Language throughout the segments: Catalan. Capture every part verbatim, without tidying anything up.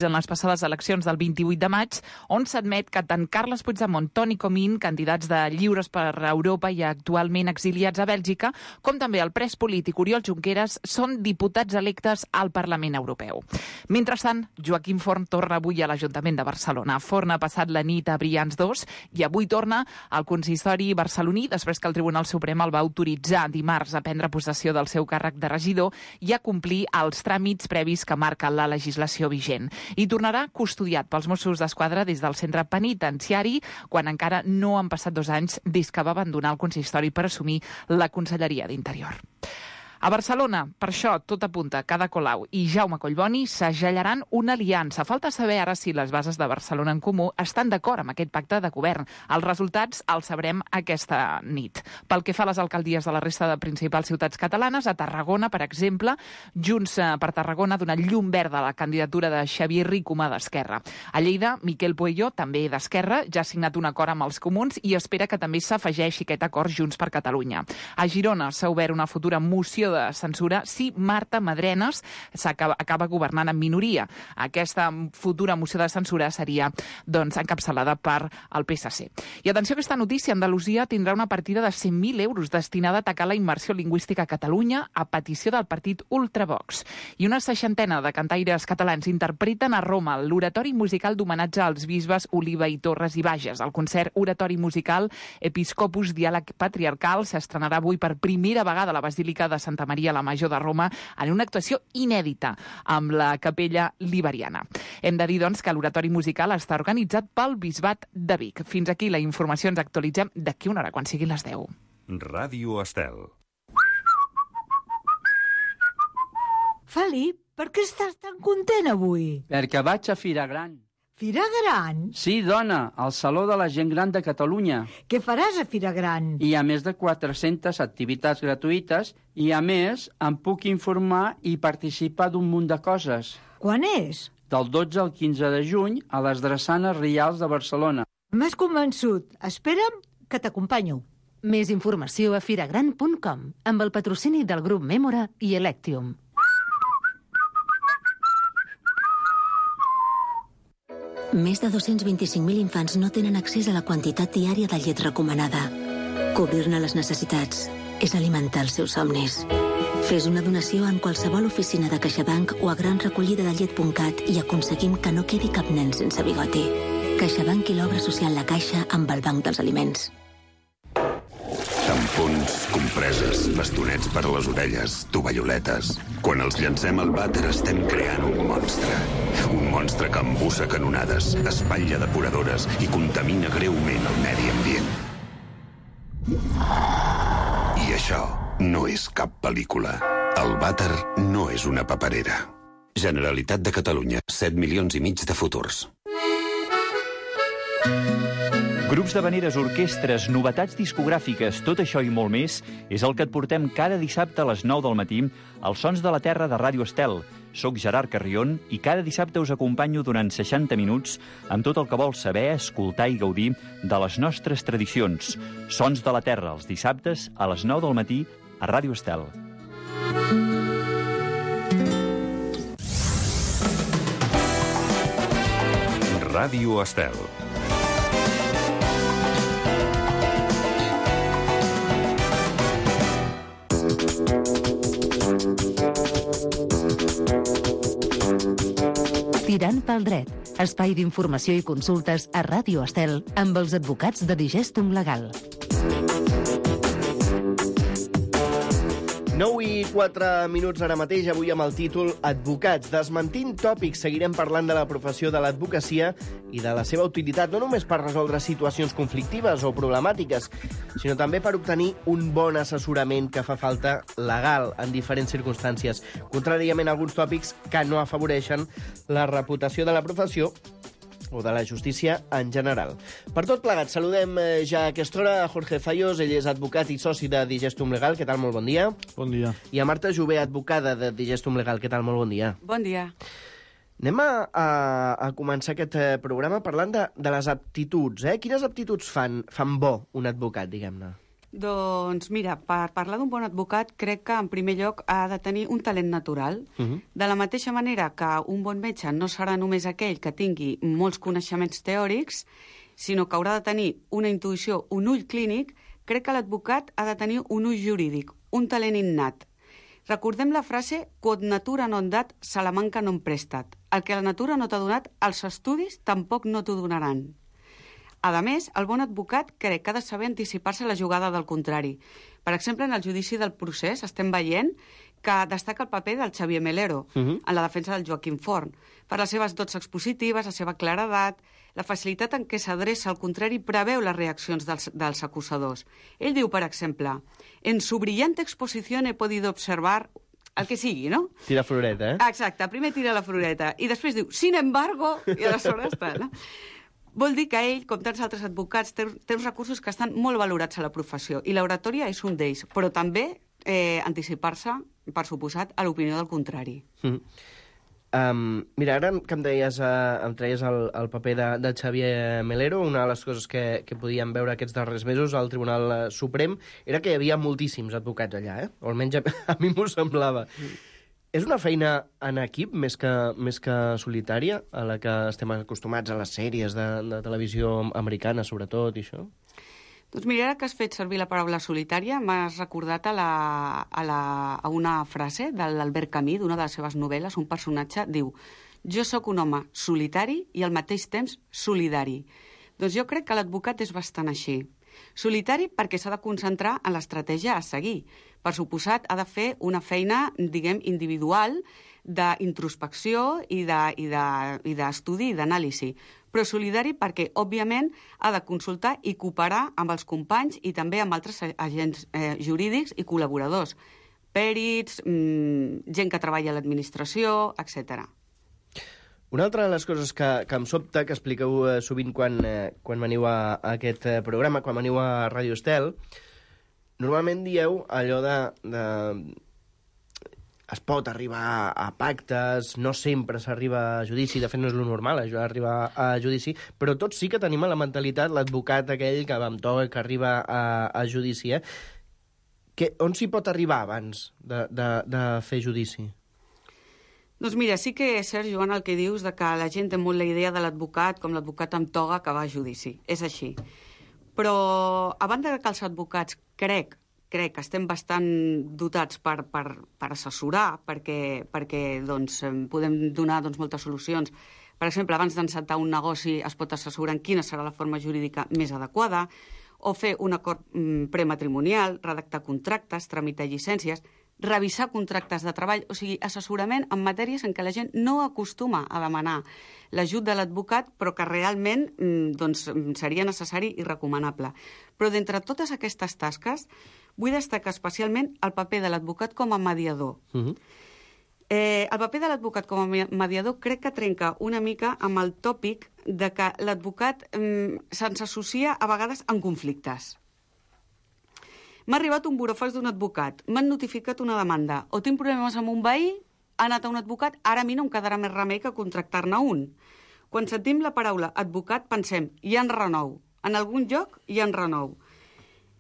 en les passades eleccions del vint-i-vuit de maig, on s'admet que tant Carles Puigdemont, Toni Comín, candidats de Lliures per Europa i actualment exiliats a Bèlgica, com també el pres polític Oriol Junqueras, són diputats electes al Parlament Europeu. Mentrestant, Joaquim Forn torna avui a l'Ajuntament de Barcelona. Forn ha passat la nit a Brians dos i avui torna al consistori barceloní després que el Tribunal Suprem el va autoritzar dimarts a prendre possessió del seu càrrec de regidor i a complir els tràmits previs que marca la legislació vigent. I tornarà custodiat pels Mossos d'Esquadra des del centre penitenciari, quan encara no han passat dos anys des que va abandonar el consistori per assumir la Conselleria d'Interior. A Barcelona, per això, tot apunta que Ada Colau i Jaume Collboni segellaran una aliança. Falta saber ara si les bases de Barcelona en Comú estan d'acord amb aquest pacte de govern. Els resultats els sabrem aquesta nit. Pel que fa a les alcaldies de la resta de principals ciutats catalanes, a Tarragona, per exemple, Junts per Tarragona ha donat llum verda a la candidatura de Xavier Ricomà d'Esquerra. A Lleida, Miquel Pueyo, també d'Esquerra, ja ha signat un acord amb els comuns i espera que també s'afegeixi aquest acord Junts per Catalunya. A Girona s'ha obert una futura moció de censura si Marta Madrenas acaba, acaba governant en minoria. Aquesta futura moció de censura seria doncs, encapçalada per el P S C. I atenció a aquesta notícia, Andalusia tindrà una partida de cent mil euros destinada a atacar la immersió lingüística a Catalunya a petició del partit Ultravox. I una seixantena de cantaires catalans interpreten a Roma l'oratori musical d'homenatge als bisbes Oliva i Torres i Bages. El concert oratori musical Episcopus Diàleg Patriarcal s'estrenarà avui per primera vegada a la Basílica de Santa Maria la Major de Roma en una actuació inèdita amb la capella liberiana. Hem de dir, doncs, que l'oratori musical està organitzat pel Bisbat de Vic. Fins aquí la informació, ens actualitzem d'aquí una hora, quan siguin les deu. Ràdio Estel. Felip, per què estàs tan content avui? Perquè vaig a Fira Gran. Fira Gran? Sí, dona, al Saló de la Gent Gran de Catalunya. Què faràs a Fira Gran? Hi ha més de quatre-centes activitats gratuïtes i, a més, em puc informar i participar d'un munt de coses. Quan és? Del dotze al quinze de juny a les Drassanes Rials de Barcelona. M'has convençut. Espera'm que t'acompanyo. Més informació a firagran punt com, amb el patrocini del grup Mémora i Electium. Més de dos-cents vint-i-cinc mil infants no tenen accés a la quantitat diària de llet recomanada. Cobrir-ne les necessitats és alimentar els seus somnis. Fes una donació en qualsevol oficina de CaixaBank o a gran recollida de llet punt cat i aconseguim que no quedi cap nen sense bigoti. CaixaBank i l'obra social La Caixa amb el Banc dels Aliments. Tampons, compreses, bastonets per a les orelles, tovalloletes... Quan els llancem al vàter estem creant un monstre. Un monstre que embussa canonades, espatlla depuradores i contamina greument el medi ambient. I això no és cap pel·lícula. El vàter no és una paperera. Generalitat de Catalunya, set milions i mig de futurs. Grups d'havaneres, orquestres, novetats discogràfiques, tot això i molt més és el que et portem cada dissabte a les nou del matí als Sons de la Terra de Ràdio Estel. Soc Gerard Carrion i cada dissabte us acompanyo durant seixanta minuts amb tot el que vols saber, escoltar i gaudir de les nostres tradicions. Sons de la Terra, els dissabtes a les nou del matí a Ràdio Estel. Ràdio Estel. Tirant pel dret, espai d'informació i consultes a Ràdio Estel amb els advocats de Digestum Legal. nou i quatre minuts ara mateix, avui amb el títol Advocats. Desmentint tòpics, seguirem parlant de la professió de l'advocacia i de la seva utilitat, no només per resoldre situacions conflictives o problemàtiques, sinó també per obtenir un bon assessorament que fa falta legal en diferents circumstàncies, contràriament a alguns tòpics que no afavoreixen la reputació de la professió o de la justícia en general. Per tot plegat, saludem ja a aquesta hora a Jorge Zayos, ell és advocat i soci de Digestum Legal. Què tal? Molt bon dia. Bon dia. I a Marta Jové, advocada de Digestum Legal. Què tal? Molt bon dia. Bon dia. Anem a, a, a començar aquest programa parlant de, de les aptituds. Eh? Quines aptituds fan, fan bo un advocat, diguem-ne? Doncs mira, per parlar d'un bon advocat crec que en primer lloc ha de tenir un talent natural. Uh-huh. De la mateixa manera que un bon metge no serà només aquell que tingui molts coneixements teòrics, sinó que haurà de tenir una intuïció, un ull clínic, crec que l'advocat ha de tenir un ull jurídic, un talent innat. Recordem la frase quod natura non dat, Salamanca non prestat. El que la natura no t'ha donat, els estudis tampoc no t'ho donaran. A més, el bon advocat crec que ha de saber anticipar-se a la jugada del contrari. Per exemple, en el judici del procés estem veient que destaca el paper del Xavier Melero uh-huh. en la defensa del Joaquim Forn, per les seves dots expositives, la seva claredat, la facilitat en què s'adreça al contrari i preveu les reaccions dels, dels acusadors. Ell diu, per exemple, en su brillante exposición he podido observar el que sigui, no? Tira floreta, eh? Exacte, primer tira la floreta i després diu, sin embargo, i aleshores està, no? Vol dir que ell, com tants altres advocats, té, té uns recursos que estan molt valorats a la professió, i l'oratòria és un d'ells, però també eh, anticipar-se, per suposat, a l'opinió del contrari. Mm. Um, mira, ara que em, deies, uh, em traies el, el paper de, de Xavier Melero, una de les coses que, que podíem veure aquests darrers mesos al Tribunal Suprem era que hi havia moltíssims advocats allà, eh? O almenys a, a mi m'ho semblava. Mm. És una feina en equip més que, més que solitària, a la que estem acostumats a les sèries de, de televisió americana, sobretot, i això? Doncs mira, ara que has fet servir la paraula solitària, m'has recordat a, la, a, la, a una frase de l'Albert Camus, d'una de les seves novel·les. Un personatge diu: jo sóc un home solitari i al mateix temps solidari. Doncs jo crec que l'advocat és bastant així. Solitari perquè s'ha de concentrar en l'estratègia a seguir. Per suposat, ha de fer una feina, diguem, individual, d'introspecció i d'estudi de, i de, i d'anàlisi. Però solidari perquè, òbviament, ha de consultar i cooperar amb els companys i també amb altres agents eh, jurídics i col·laboradors. Pèrits, mmm, gent que treballa a l'administració, etcètera. Una altra de les coses que, que em sobta, que expliqueu eh, sovint quan, eh, quan veniu a, a aquest eh, programa, quan veniu a Ràdio Estel, normalment dieu allò de, de... es pot arribar a pactes, no sempre s'arriba a judici, de fet no és lo normal arribar a judici, però tots sí que tenim a la mentalitat l'advocat aquell que va amb to, que arriba a, a judici. Eh? Que, on s'hi pot arribar abans de, de, de fer judici? Doncs mira, sí que és cert, Joan, el que dius de que la gent té molt la idea de l'advocat com l'advocat amb toga que va a judici. És així. Però, a banda que els advocats, crec, crec que estem bastant dotats per, per, per assessorar, perquè, perquè doncs, podem donar doncs, moltes solucions. Per exemple, abans d'encetar un negoci es pot assessorar en quina serà la forma jurídica més adequada, o fer un acord mm, prematrimonial, redactar contractes, tramitar llicències, revisar contractes de treball, o sigui, assessorament en matèries en què la gent no acostuma a demanar l'ajut de l'advocat, però que realment doncs, seria necessari i recomanable. Però d'entre totes aquestes tasques, vull destacar especialment el paper de l'advocat com a mediador. Uh-huh. Eh, el paper de l'advocat com a mediador crec que trenca una mica amb el tòpic de que l'advocat eh, se'ns associa a vegades en conflictes. M'ha arribat un burofax d'un advocat, m'han notificat una demanda, o tinc problemes amb un veí, ha anat a un advocat, ara a mi no em quedarà més remei que contractar-ne un. Quan sentim la paraula advocat pensem, hi ha en renou. En algun lloc hi ha en renou.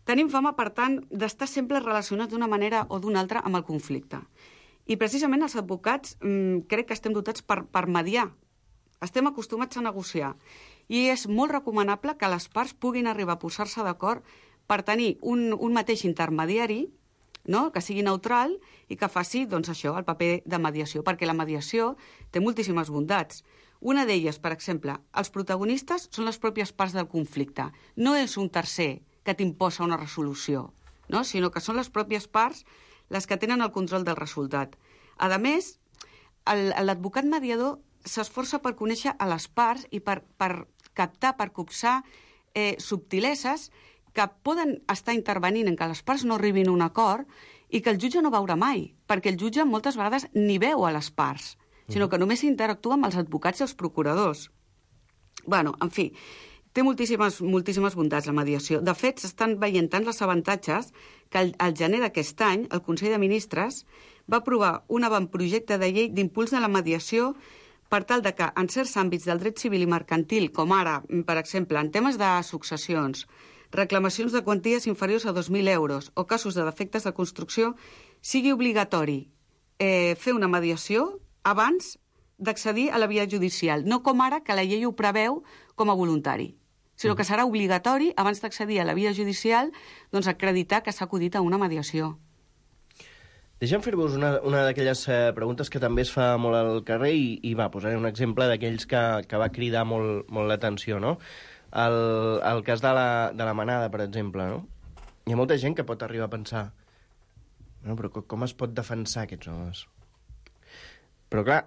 Tenim fama, per tant, d'estar sempre relacionats d'una manera o d'una altra amb el conflicte. I precisament els advocats mmm, crec que estem dotats per, per mediar. Estem acostumats a negociar. I és molt recomanable que les parts puguin arribar a posar-se d'acord per tenir un, un mateix intermediari, no?, que sigui neutral i que faci doncs, això, el paper de mediació, perquè la mediació té moltíssimes bondats. Una d'elles, per exemple, els protagonistes són les pròpies parts del conflicte. No és un tercer que t'imposa una resolució, no?, sinó que són les pròpies parts les que tenen el control del resultat. A més, l'advocat mediador s'esforça per conèixer a les parts i per, per captar, per copsar eh, subtileses que poden estar intervenint en que les parts no arribin a un acord i que el jutge no veurà mai, perquè el jutge moltes vegades ni veu a les parts, sinó que només interactua amb els advocats i els procuradors. Bueno, en fi, té moltíssimes, moltíssimes bondats la mediació. De fet, s'estan veient tant els avantatges que al, al gener d'aquest any el Consell de Ministres va aprovar un avantprojecte de llei d'impuls de la mediació per tal de que en certs àmbits del dret civil i mercantil, com ara, per exemple, en temes de successions, reclamacions de quanties inferiors a dos mil euros o casos de defectes de construcció, sigui obligatori eh, fer una mediació abans d'accedir a la via judicial, no com ara que la llei ho preveu com a voluntari, sinó que serà obligatori, abans d'accedir a la via judicial, doncs acreditar que s'ha acudit a una mediació. Deixa'm fer-vos una, una d'aquelles eh, preguntes que també es fa molt al carrer i, i va, posaré un exemple d'aquells que, que va cridar molt, molt l'atenció, no? El, el cas de la, de la manada, per exemple, no? Hi ha molta gent que pot arribar a pensar no, però com es pot defensar aquests homes? Però clar,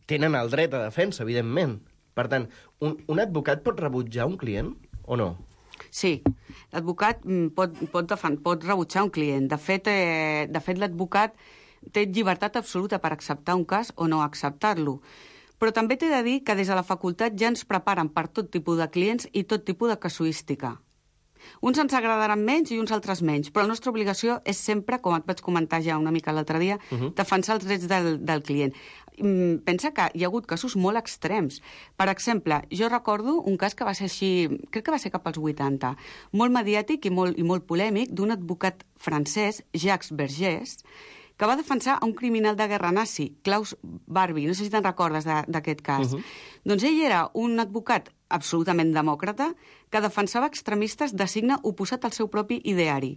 tenen el dret a defensa, evidentment. Per tant, un, un advocat pot rebutjar un client o no? Sí, l'advocat pot, pot, defen- pot rebutjar un client. De fet, eh, de fet l'advocat té llibertat absoluta per acceptar un cas o no acceptar-lo. Però també t'he de dir que des de la facultat ja ens preparen per tot tipus de clients i tot tipus de casuística. Uns ens agradaran menys i uns altres menys, però la nostra obligació és sempre, com et vaig comentar ja una mica l'altre dia, uh-huh. defensar els drets del, del client. Pensa que hi ha hagut casos molt extrems. Per exemple, jo recordo un cas que va ser així, crec que va ser cap als vuitanta, molt mediàtic i molt, i molt polèmic, d'un advocat francès, Jacques Vergès, que va defensar a un criminal de guerra nazi, Klaus Barbie, no sé si te'n recordes d'aquest cas. Uh-huh. Doncs ell era un advocat absolutament demòcrata que defensava extremistes de signe oposat al seu propi ideari.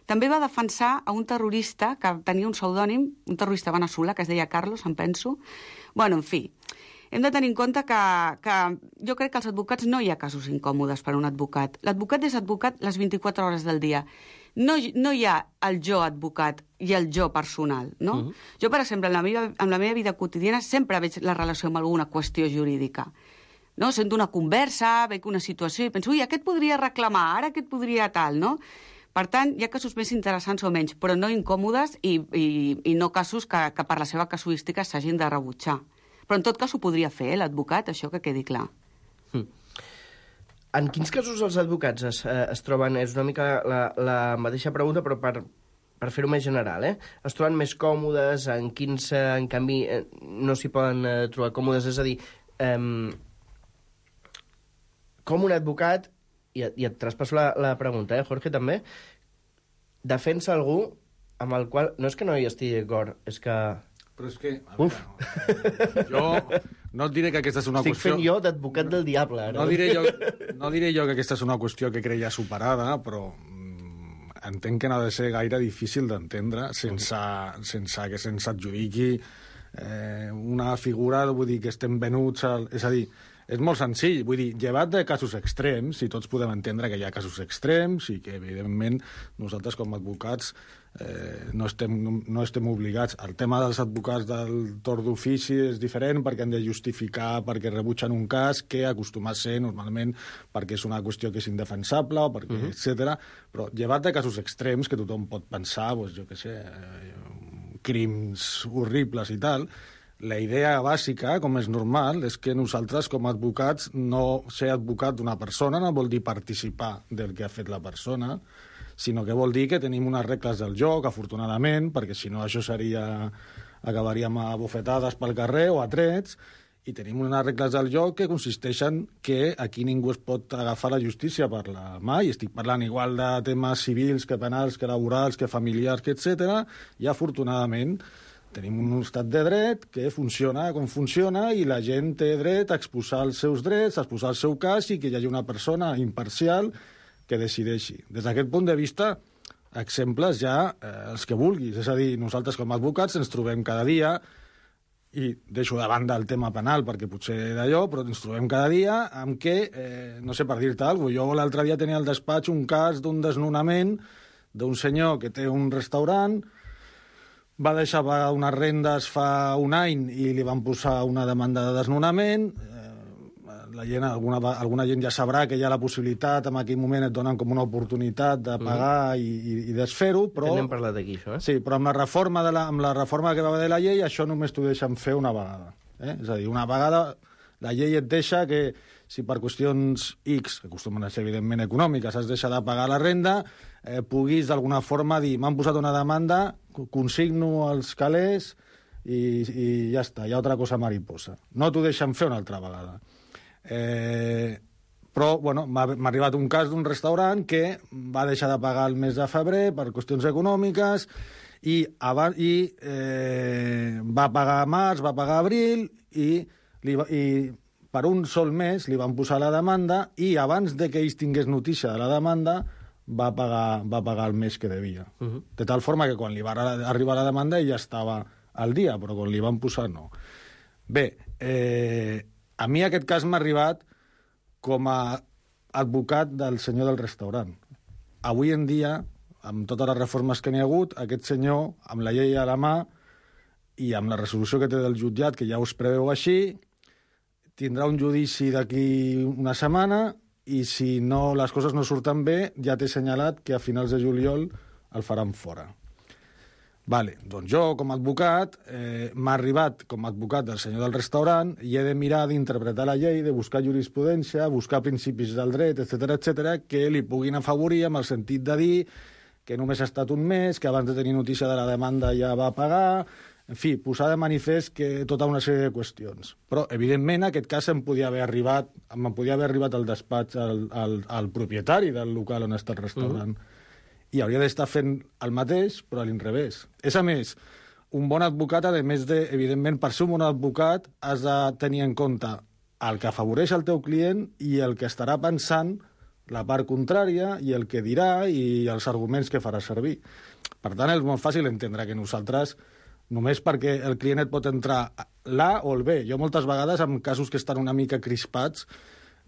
També va defensar a un terrorista que tenia un pseudònim, un terrorista veneçolà que es deia Carlos, em penso. Bueno, en fi, hem de tenir en compte que, que jo crec que als advocats no hi ha casos incòmodes per a un advocat. L'advocat és advocat les vint-i-quatre hores del dia. No, no hi ha el jo advocat i el jo personal, no? Uh-huh. Jo, per exemple, en la, meva, en la meva vida quotidiana sempre veig la relació amb alguna qüestió jurídica. No? Sento una conversa, veig una situació i penso, ui, aquest podria reclamar, ara aquest podria tal, no? Per tant, hi ha casos més interessants o menys, però no incòmodes i, i, i no casos que, que per la seva casuística s'hagin de rebutjar. Però en tot cas ho podria fer, eh, l'advocat, això que quedi clar. Mm. En quins casos els advocats es, eh, es troben, és una mica la, la mateixa pregunta, però per, per fer-ho més general, eh? Es troben més còmodes, en quins, eh, en canvi, eh, no s'hi poden eh, trobar còmodes? És a dir, eh, com un advocat, i et, i et traspasso la, la pregunta, eh, Jorge, també, defensa algú amb el qual... No és que no hi estigui d'acord, és que... Però és que... A veure, jo no et diré que aquesta és una Estic qüestió... fent jo d'advocat del diable, ara. No diré, jo, no diré jo que aquesta és una qüestió que creia superada, però mm, entenc que no ha de ser gaire difícil d'entendre sense, sense que se'ns adjudiqui eh, una figura, vull dir, que estem venuts... Al... És a dir, és molt senzill, vull dir, llevat de casos extrems, i tots podem entendre que hi ha casos extrems i que, evidentment, nosaltres com a advocats eh, no, estem, no estem obligats. El tema dels advocats del torn d'ofici és diferent perquè han de justificar perquè rebutgen un cas que acostuma a ser normalment perquè és una qüestió que és indefensable, o perquè, uh-huh. etcètera. Però llevat de casos extrems que tothom pot pensar, doncs, jo què sé, eh, crims horribles i tal, la idea bàsica, com és normal, és que nosaltres, com a advocats, no ser advocat d'una persona no vol dir participar del que ha fet la persona, sinó que vol dir que tenim unes regles del joc, afortunadament, perquè si no això seria... acabaríem a bufetades pel carrer o a trets, i tenim unes regles del joc que consisteixen que aquí ningú es pot agafar la justícia per la mà, i estic parlant igual de temes civils que penals, que laborals, que familiars, que etcètera, i afortunadament tenim un estat de dret que funciona com funciona i la gent té dret a exposar els seus drets, a exposar el seu cas i que hi hagi una persona imparcial que decideixi. Des d'aquest punt de vista, exemples ja eh, els que vulguis. És a dir, nosaltres com a advocats ens trobem cada dia, i deixo de banda el tema penal perquè potser d'allò, però ens trobem cada dia amb què, eh, no sé per dir-te alguna cosa, jo l'altre dia tenia al despatx un cas d'un desnonament d'un senyor que té un restaurant, va deixar pagar unes rendes fa un any i li van posar una demanda de desnonament. La gent, alguna, alguna gent ja sabrà que hi ha la possibilitat, en aquell moment et donen com una oportunitat de pagar mm. i, i, i desfer-ho, però... N'hem parlat aquí, això, eh? Sí, però amb la reforma, de la, amb la reforma que va haver de la llei, això només t'ho deixen fer una vegada. Eh? És a dir, una vegada la llei et deixa que si per qüestions X, que acostumen a ser evidentment econòmiques, has deixat de pagar la renda, eh, puguis d'alguna forma dir, m'han posat una demanda, consigno els calés i, i ja està, hi ha altra cosa mariposa. No t'ho deixen fer una altra vegada. Eh, Però, bueno, m'ha arribat un cas d'un restaurant que va deixar de pagar el mes de febrer per qüestions econòmiques i, abans, i eh, va pagar març, va pagar abril i, li va, i per un sol mes li van posar la demanda i abans de que ells tingués notícia de la demanda va pagar, va pagar el mes que devia. Uh-huh. De tal forma que quan li va arribar la demanda ell ja estava al dia, però quan li van posar no. Bé, eh, a mi aquest cas m'ha arribat com a advocat del senyor del restaurant. Avui en dia, amb totes les reformes que n'hi ha hagut, aquest senyor, amb la llei a la mà i amb la resolució que té del jutjat, que ja us preveu així, tindrà un judici d'aquí una setmana i si no, les coses no surten bé, ja t'he assenyalat que a finals de juliol el faran fora. Vale, doncs jo, com a advocat, eh, m'ha arribat com a advocat del senyor del restaurant i he de mirar d'interpretar la llei, de buscar jurisprudència, buscar principis del dret, etcètera, etcètera, que li puguin afavorir amb el sentit de dir que només ha estat un mes, que abans de tenir notícia de la demanda ja va pagar, en fi, posar de manifest que tota una sèrie de qüestions. Però, evidentment, aquest cas em podia haver arribat, em podia haver arribat al despatx al, al, al propietari del local on està el restaurant. Mm. I hauria d'estar fent el mateix, però a l'inrevés. És, a més, un bon advocat, a més de, evidentment, per ser un bon advocat, has de tenir en compte el que afavoreix el teu client i el que estarà pensant la part contrària i el que dirà i els arguments que farà servir. Per tant, és molt fàcil entendre que nosaltres, només perquè el client et pot entrar l'A o el B. Jo moltes vegades, en casos que estan una mica crispats,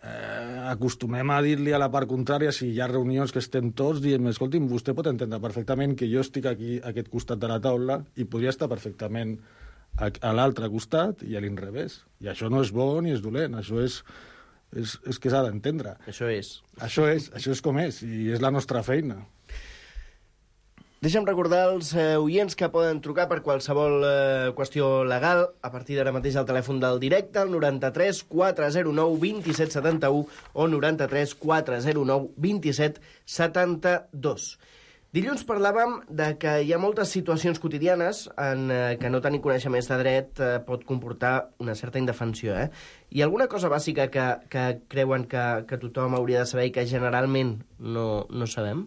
Eh, acostumem a dir-li a la part contrària, si hi ha reunions que estem tots, diem, escolti'm, vostè pot entendre perfectament que jo estic aquí a aquest costat de la taula i podria estar perfectament a, a l'altre costat i a l'inrevés. I això no és bo ni és dolent, això és, és, és que s'ha d'entendre. Això és. Això és, això és com és, i és la nostra feina. Deixa'm recordar als eh, oients que poden trucar per qualsevol eh, qüestió legal a partir d'ara mateix al telèfon del directe, el noranta-tres quatre zero nou vint set setanta-u o noranta-tres quatre zero nou vint set setanta-dos. Dilluns parlàvem de que hi ha moltes situacions quotidianes en eh, que no tenir coneixements de dret eh, pot comportar una certa indefensió. Eh? Hi ha alguna cosa bàsica que, que creuen que, que tothom hauria de saber i que generalment no, no sabem?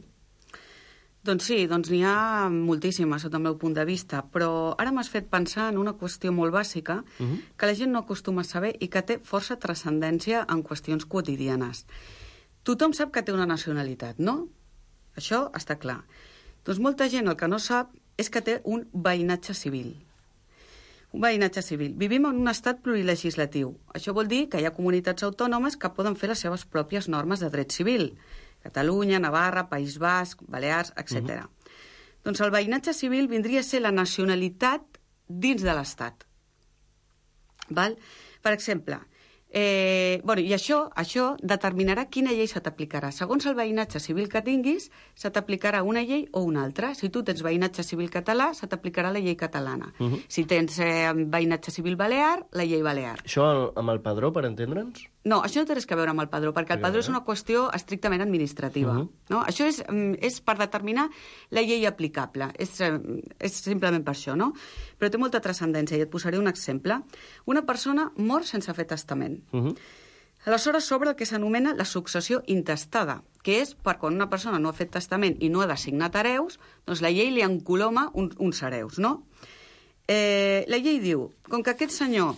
Doncs sí, doncs n'hi ha moltíssimes, sota el meu punt de vista, però ara m'has fet pensar en una qüestió molt bàsica uh-huh. que la gent no acostuma a saber i que té força transcendència en qüestions quotidianes. Tothom sap que té una nacionalitat, no? Això està clar. Doncs molta gent el que no sap és que té un veïnatge civil. Un veïnatge civil. Vivim en un estat plurilegislatiu. Això vol dir que hi ha comunitats autònomes que poden fer les seves pròpies normes de dret civil. Catalunya, Navarra, País Basc, Balears, etcètera. Uh-huh. Doncs el veïnatge civil vindria a ser la nacionalitat dins de l'Estat. Val? Per exemple, eh, bueno, i això, això determinarà quina llei se t'aplicarà. Segons el veïnatge civil que tinguis, se t'aplicarà una llei o una altra. Si tu tens veïnatge civil català, se t'aplicarà la llei catalana. Uh-huh. Si tens eh, veïnatge civil balear, la llei balear. Això amb el padró, per entendre'ns? No, això no té res a veure amb el padró, perquè el padró és una qüestió estrictament administrativa. Uh-huh. No? Això és, és per determinar la llei aplicable. És, és simplement per això, no? Però té molta transcendència, i et posaré un exemple. Una persona mor sense fer testament. Uh-huh. Aleshores s'obre el que s'anomena la successió intestada, que és per quan una persona no ha fet testament i no ha designat hereus, doncs la llei li encoloma un, uns hereus, no? Eh, la llei diu, com que aquest senyor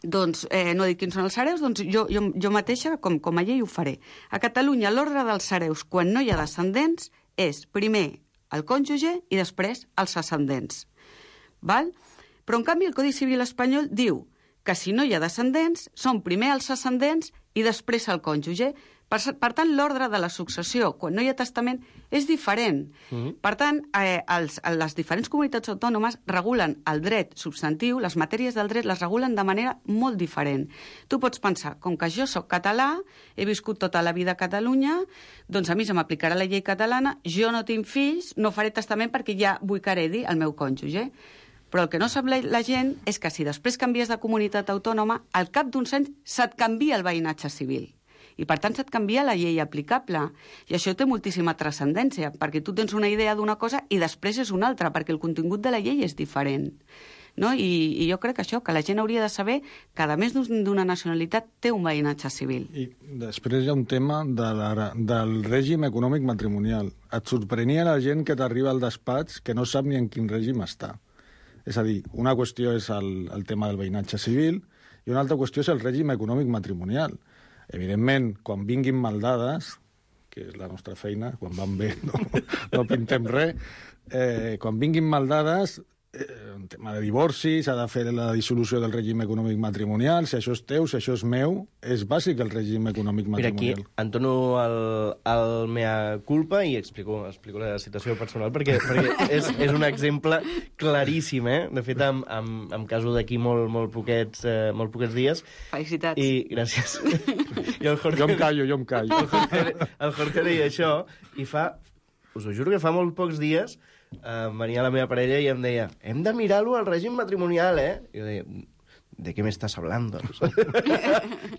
doncs eh, no dic quins són els hereus, doncs jo, jo, jo mateixa, com, com a llei, ho faré. A Catalunya, l'ordre dels hereus, quan no hi ha descendents, és primer el cònjuge i després els ascendents. Val? Però, en canvi, el Codi Civil espanyol diu que si no hi ha descendents, són primer els ascendents i després el cònjuge. Per, per tant, l'ordre de la successió, quan no hi ha testament, és diferent. Mm-hmm. Per tant, eh, els, les diferents comunitats autònomes regulen el dret substantiu, les matèries del dret les regulen de manera molt diferent. Tu pots pensar, com que jo sóc català, he viscut tota la vida a Catalunya, doncs a mi se m'aplicarà la llei catalana, jo no tinc fills, no faré testament perquè ja vull que heredi el meu cònjuge. Però el que no sap la, la gent és que si després canvies de comunitat autònoma, al cap d'uns anys se't canvia el veïnatge civil. I, per tant, se't canvia la llei aplicable. I això té moltíssima transcendència, perquè tu tens una idea d'una cosa i després és una altra, perquè el contingut de la llei és diferent. no? I, I jo crec que això, que la gent hauria de saber que, a més d'una nacionalitat, té un veïnatge civil. I després hi ha un tema de la, del règim econòmic matrimonial. Et sorprenia la gent que t'arriba al despatx que no sap ni en quin règim està. És a dir, una qüestió és el, el tema del veïnatge civil i una altra qüestió és el règim econòmic matrimonial. Evidentment, quan vinguin maldades, que és la nostra feina, quan van bé no, no pintem res, eh, quan vinguin maldades, eh, en tema de divorci, s'ha de fer la dissolució del règim econòmic matrimonial, si això és teu, si això és meu, és bàsic el règim econòmic matrimonial. Mira, aquí entono el, el mea culpa i explico, explico la situació personal, perquè, perquè és, és un exemple claríssim, eh? De fet, em, em, em caso d'aquí molt, molt, poquets, eh, molt poquets dies. Felicitats. I gràcies. I el Jorge, jo em callo, jo em callo. El Jorge, el Jorge deia això, i fa, us ho juro que fa molt pocs dies, eh, venia la meva parella i em deia, hem de mirar-lo al règim matrimonial, eh? I jo deia, ¿de què m'estàs hablando?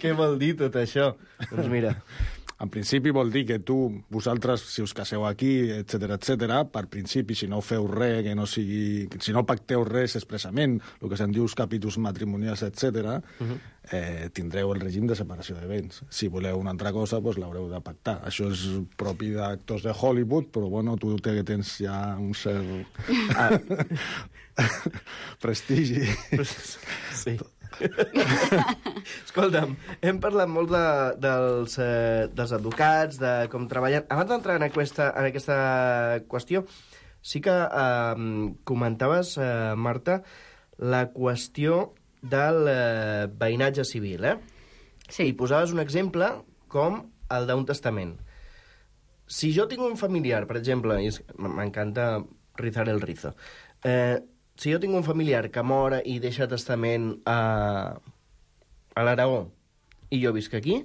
Què vol dir tot això? Doncs mira... En principi vol dir que tu, vosaltres, si us caseu aquí, etcètera, etcètera, per principi, si no feu res, que no sigui... Si no pacteu res expressament, el que se'n diu els capítols matrimonials, etcètera, uh-huh. eh, tindreu el règim de separació de béns. Si voleu una altra cosa, doncs l'haureu de pactar. Això és propi d'actors de Hollywood, però bueno, tu que tens ja un cert ah. prestigi. Sí. Escolta'm, hem parlat molt de, dels, eh, dels advocats, de com treballen. Abans d'entrar en aquesta, en aquesta qüestió, sí que eh, comentaves, eh, Marta, la qüestió del eh, veïnatge civil, eh? Sí. I posaves un exemple com el d'un testament. Si jo tinc un familiar, per exemple, i m'encanta rizar el rizo, eh, si jo tinc un familiar que mor i deixa testament a, a l'Aragó i jo visc aquí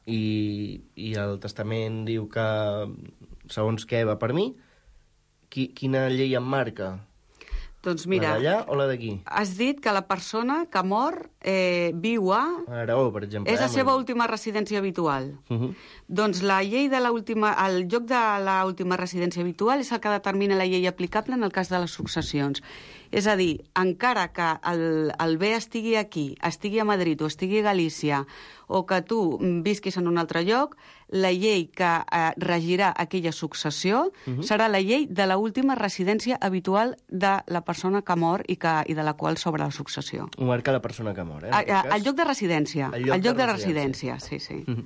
i, i el testament diu que segons què va per mi, qui, quina llei em marca? Doncs mira, la d'allà o la d'aquí? Has dit que la persona que mor eh, viu a... A l'Aragó, per exemple. És la eh? seva última residència habitual. Uh -huh. Doncs la llei de l'última... El lloc de l'última residència habitual és el que determina la llei aplicable en el cas de les successions. És a dir, encara que el, el bé estigui aquí, estigui a Madrid o estigui a Galícia, o que tu visquis en un altre lloc, la llei que eh, regirà aquella successió uh-huh. serà la llei de l'última residència habitual de la persona que mor i, que, i de la qual s'obre la successió. Ho marca la persona que mor, eh? A, a, el lloc de residència. El lloc, el lloc de, de residència, residència sí, sí. Uh-huh.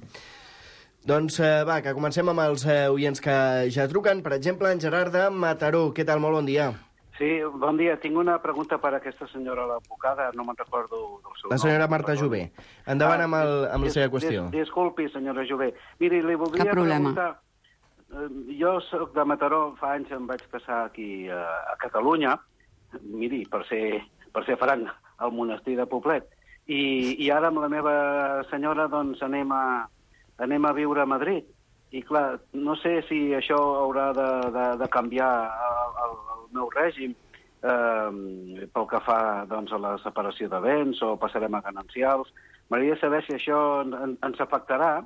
Doncs eh, va, que comencem amb els eh, oients que ja truquen. Per exemple, en Gerard de Mataró. Què tal? Molt bon dia. Sí, bon dia. Tinc una pregunta per a aquesta senyora, l'advocada, no me'n recordo del seu nom. La senyora Marta Jové. Endavant amb, el, amb la seva qüestió. Dis, disculpi, senyora Jové. Miri, li voldria Cap problema. preguntar... Jo soc de Mataró, fa anys em vaig casar aquí a, a Catalunya, miri, per ser, per ser franc, al monestir de Poblet. I, i ara amb la meva senyora doncs anem a, anem a viure a Madrid. I clar, no sé si això haurà de, de, de canviar el, el, el meu règim eh, pel que fa doncs, a la separació de béns o passarem a ganancials. M'agradaria saber si això en, ens afectarà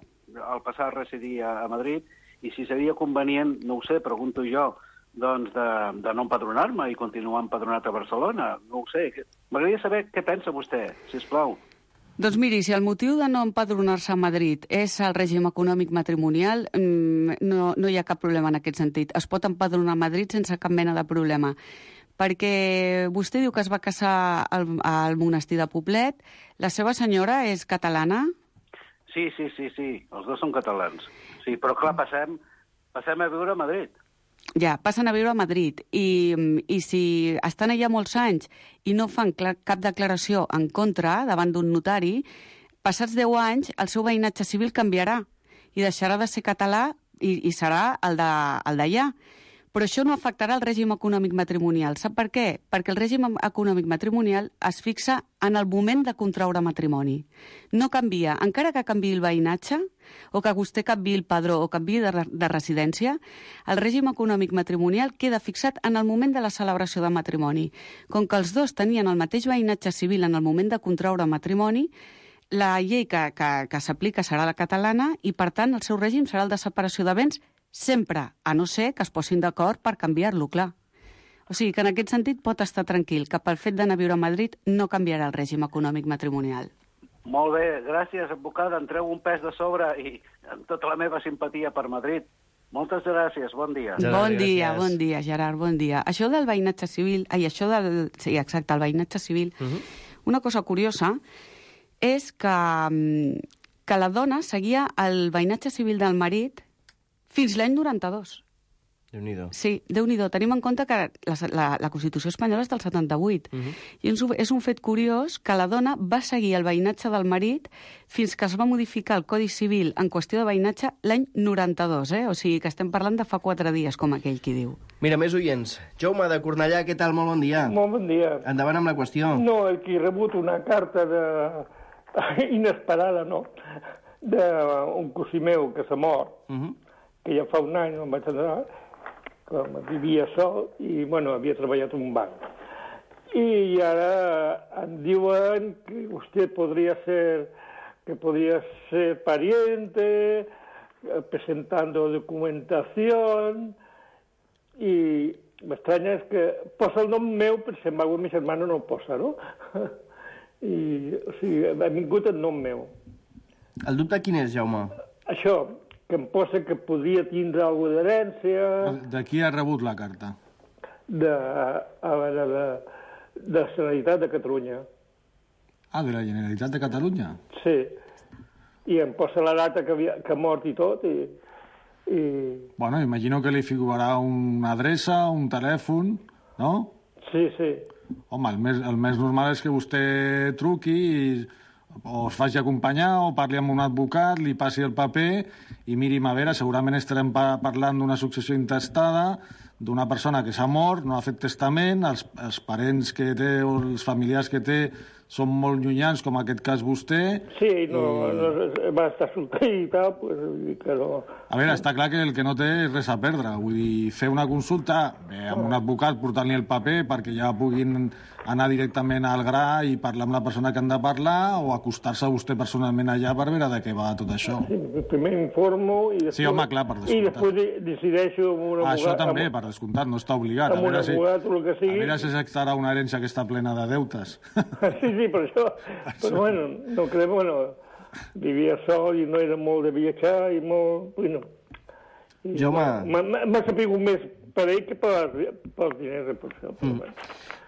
al passar a residir a, a Madrid i si seria convenient, no ho sé, pregunto jo, doncs de, de no empadronar-me i continuar empadronat a Barcelona. No ho sé. M'agradaria saber què pensa vostè, sisplau. Doncs miri, si el motiu de no empadronar-se a Madrid és el règim econòmic matrimonial, no, no hi ha cap problema en aquest sentit. Es pot empadronar a Madrid sense cap mena de problema. Perquè vostè diu que es va casar al, al monestir de Poblet. La seva senyora és catalana? Sí, sí, sí, sí. Els dos són catalans. Sí, però clar, passem, passem a viure a Madrid. Ja, passen a viure a Madrid i, i si estan allà molts anys i no fan cap declaració en contra davant d'un notari, passats deu anys el seu veïnatge civil canviarà i deixarà de ser català i, i serà el d'allà. Però això no afectarà el règim econòmic matrimonial. Sap per què? Perquè el règim econòmic matrimonial es fixa en el moment de contraure matrimoni. No canvia. Encara que canviï el veïnatge, o que vostè canviï el padró o canviï de, de residència, el règim econòmic matrimonial queda fixat en el moment de la celebració de matrimoni. Com que els dos tenien el mateix veïnatge civil en el moment de contraure matrimoni, la llei que, que, que s'aplica serà la catalana i, per tant, el seu règim serà el de separació de béns sempre, a no ser que es posin d'acord per canviar-lo, clar. O sigui, que en aquest sentit pot estar tranquil, que pel fet d'anar a viure a Madrid no canviarà el règim econòmic matrimonial. Molt bé, gràcies, advocada. Em treu un pes de sobre i amb tota la meva simpatia per Madrid. Moltes gràcies, bon dia. Bon dia, bon dia, Gerard, bon dia. Això del veïnatge civil, ai, això del... Sí, exacte, el veïnatge civil. Uh -huh. Una cosa curiosa és que, que la dona seguia el veïnatge civil del marit fins l'any noranta-dos. Déu-n'hi-do. Sí, Déu-n'hi-do. Tenim en compte que la, la, la Constitució espanyola és del setanta-vuit. Uh -huh. I és un, és un fet curiós que la dona va seguir el veïnatge del marit fins que es va modificar el Codi Civil en qüestió de veïnatge l'any noranta-dos, eh? O sigui que estem parlant de fa quatre dies, com aquell qui diu. Mira, més oients. Jaume, de Cornellà, què tal? Molt bon dia. Molt bon dia. Endavant amb la qüestió. No, aquí he rebut una carta de... inesperada, no? D'un cosí meu que s'ha mort, uh -huh. que ja fa un any no em vaig adonar, que vivia sol i, bueno, havia treballat en un banc. I ara em diuen que vostè podria ser, que podria ser pariente, presentando documentación, i m'estranya és que posa el nom meu, però si embargo mi germano no el posa, no? I, o sigui, ha vingut el nom meu. El dubte quin és, Jaume? Això, que em posa que podria tindre alguna d'herència... De qui ha rebut la carta? De, a veure, de, de la Generalitat de Catalunya. Ah, de la Generalitat de Catalunya? Sí. I em posa la data que, havia, que ha mort i tot, i... i... Bueno, imagino que li figurarà una adreça, un telèfon, no? Sí, sí. Home, el més, el més normal és que vostè truqui i o es faci acompanyar o parli amb un advocat, li passi el paper i mirim a veure, segurament estarem pa parlant d'una successió intestada, d'una persona que s'ha mort, no ha fet testament, els, els parents que té o els familiars que té són molt llunyans, com en aquest cas vostè. Sí, no, i... no va estar solter i tal, pues, que no... A veure, està clar que el que no té és res a perdre. Vull dir, fer una consulta bé, amb un advocat, portant-li el paper perquè ja puguin anar directament al gra i parlar amb la persona que han de parlar o acostar-se a vostè personalment allà per veure de què va tot això. Sí, primer informo i després... Sí, home, clar, per descomptat. I després decideixo amb un abogat... Això també, per descomptat, no està obligat. Amb un abogat o el que sigui... A veure si s'actarà una herència que està plena de deutes. Sí, sí, per això. Però, bueno, no crec, bueno, vivia sol i no era molt de viatjar i molt... Bueno, Jaume... M'ha sapigut més per ell que pels diners, per això. Mm.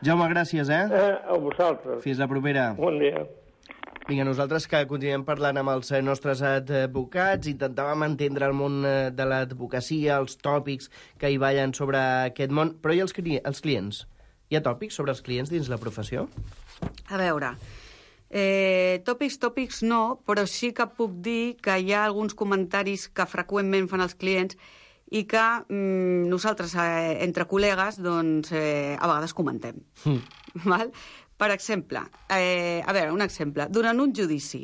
Jaume, gràcies, eh? eh? A vosaltres. Fins la propera. Bon dia. Vinga, nosaltres que continuem parlant amb els nostres advocats, intentàvem entendre el món de l'advocacia, els tòpics que hi ballen sobre aquest món, però i els, els clients? Hi ha tòpics sobre els clients dins la professió? A veure, eh, tòpics, tòpics no, però sí que puc dir que hi ha alguns comentaris que freqüentment fan els clients i que mm, nosaltres, eh, entre col·legues, doncs, eh, a vegades comentem. Mm. Val? Per exemple, eh, a veure, un exemple. Durant un judici,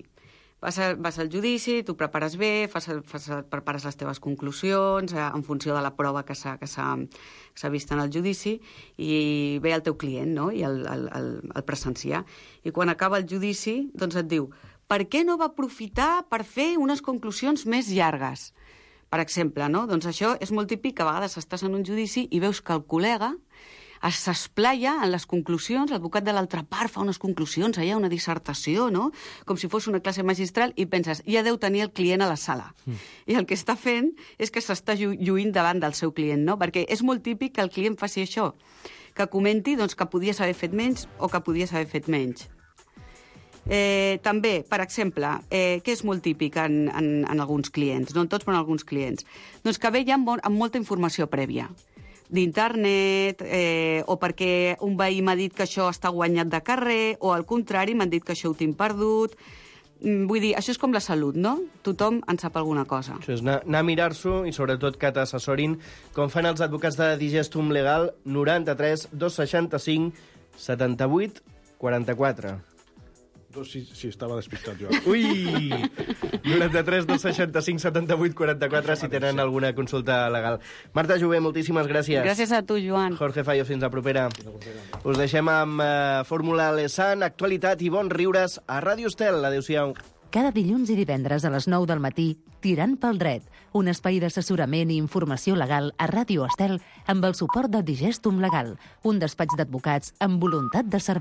vas, a, vas al judici, tu prepares bé, fas, fas, prepares les teves conclusions eh, en funció de la prova que s'ha vist en el judici i ve el teu client, no?, i el, el, el, el presenciar. I quan acaba el judici, doncs et diu, per què no va aprofitar per fer unes conclusions més llargues? Per exemple, no? Doncs això és molt típic, que a vegades estàs en un judici i veus que el col·lega s'esplaia en les conclusions, l'advocat de l'altra part fa unes conclusions, allà una dissertació, no?, com si fos una classe magistral, i penses, ja deu tenir el client a la sala. Mm. I el que està fent és que s'està lluint davant del seu client, no?, perquè és molt típic que el client faci això, que comenti doncs, que podies haver fet menys o que podies haver fet menys. Eh, també, per exemple, eh, què és molt típic en, en, en alguns clients, no en tots, però en alguns clients? Doncs que ve ja amb, amb molta informació prèvia d'internet, eh, o perquè un veí m'ha dit que això està guanyat de carrer, o al contrari, m'han dit que això ho tinc perdut. Vull dir, això és com la salut, no? Tothom en sap alguna cosa. Això és anar, anar a mirar-s'ho i sobretot que t'assessorin, com fan els advocats de Digestum Legal, noranta-tres dos seixanta-cinc setanta-vuit quaranta-quatre. Doncs sí, sí, estava despistat jo. Ui! noranta-tres dos seixanta-cinc setanta-vuit quaranta-quatre si tenen alguna consulta legal. Marta Jové, moltíssimes gràcies. Gràcies a tu, Joan. Jorge Fallo, fins la propera. Us deixem amb uh, Fórmula Lesan, actualitat i bons riures a Ràdio Estel. Adéu-siau. Cada dilluns i divendres a les nou del matí, Tirant pel dret, un espai d'assessorament i informació legal a Ràdio Estel amb el suport de Digestum Legal, un despatx d'advocats amb voluntat de servei.